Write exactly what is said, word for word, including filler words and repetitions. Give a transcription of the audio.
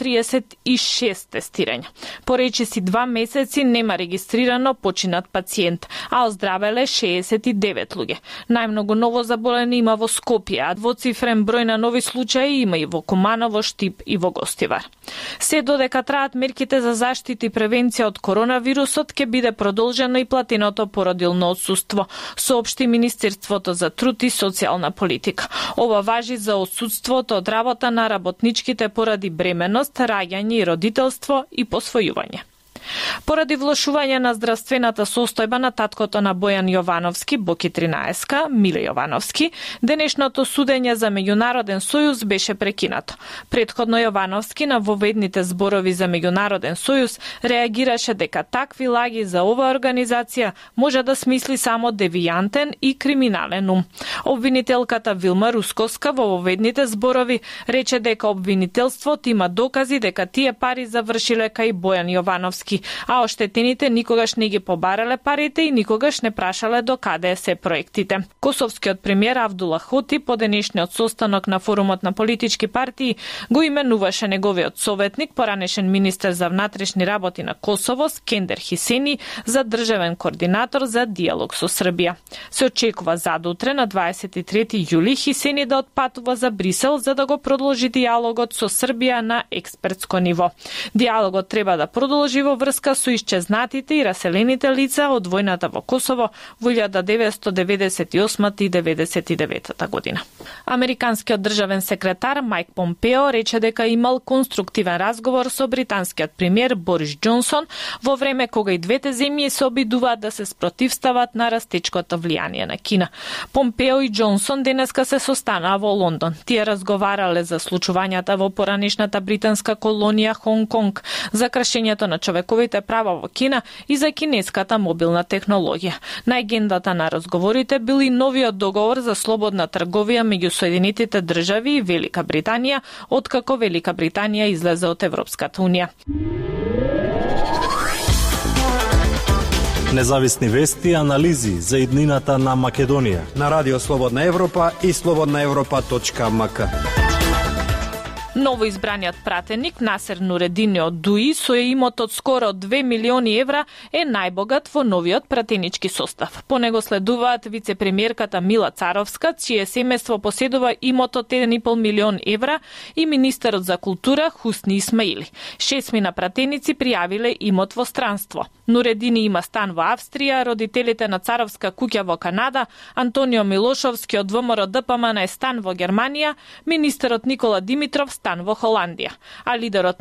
триесет и шест тестирања. По речиси два месеци нема регистрирано починат пациент, а оздравеле шеесет и девет луѓе. Најмногу ново заболени има во Скопје, а двоцифрен број на нови случаи има и во Куманово, Штип и во Гостивар. Се додека траат мерките за заштита и превенција од коронавирусот, ќе биде продолжено и платеното породилно отсуство, соопшти Министерството за труд и социјална политика. Ова важи за отсуството од работа на работничките поради бременост, раѓање и родителство и посвојување. Поради влошување на здравствената состојба на таткото на Бојан Јовановски, Боки тринаесетка, Миле Јовановски, денешното судење за меѓународен сојуз беше прекинато. Претходно Јовановски на воведните зборови за меѓународен сојуз реагираше дека такви лаги за оваа организација може да смисли само девијантен и криминален ум. Обвинителката Вилма Русковска во воведните зборови рече дека обвинителството има докази дека тие пари завршиле кај Бојан Јовановски, а оштетените никогаш не ги побарале парите и никогаш не прашале до каде се проектите. Косовскиот премиер Авдула Хоти по денешниот состанок на форумот на политички партии го именуваше неговиот советник, поранешен министер за внатрешни работи на Косово, Скендер Хисени, за државен координатор за диалог со Србија. Се очекува задутре на дваесет и трети јули Хисени да отпатува за Брисел за да го продолжи диалогот со Србија на експертско ниво. Диалогот треба да продолжи во врска со исчезнатите и раселените лица од војната во Косово во илјада деветстотини деветдесет и осма и деветдесет и девета година. Американскиот државен секретар Майк Помпео рече дека имал конструктивен разговор со британскиот премиер Борис Џонсон во време кога и двете земји се обидуваат да се спротивстават на растечкото влијание на Кина. Помпео и Џонсон денеска се состанаа во Лондон. Тие разговарале за случувањата во поранешната британска колонија Хонг Конг, за кршењето на човековите права во Кина и за кинеската мобилна технологија. На агендата на разговорите бил и новиот договор за слободна трговија меѓу Соединетите држави и Велика Британија, откако Велика Британија излезе од Европската унија. Независни вести и анализи за иднината на Македонија на Радио Слободна Европа и слободна европа точка ем ка. Ново избраниот пратеник Насер Нуредини од ДУИ со имот од скоро две милиони евра е најбогат во новиот пратенички состав. По него следуваат вице-премиерката Мила Царовска, чие семејство поседува имот од еден и пол милион евра, и министерот за култура Хусни Исмаили. Шесмина пратеници пријавиле имот во странство. Нуредини има стан во Австрија, родителите на Царовска куќа во Канада, Антонио Милошовски од ВМРО Д П М Н е стан во Германија, министерот Никола Димитров стан во Холандија, а лидерот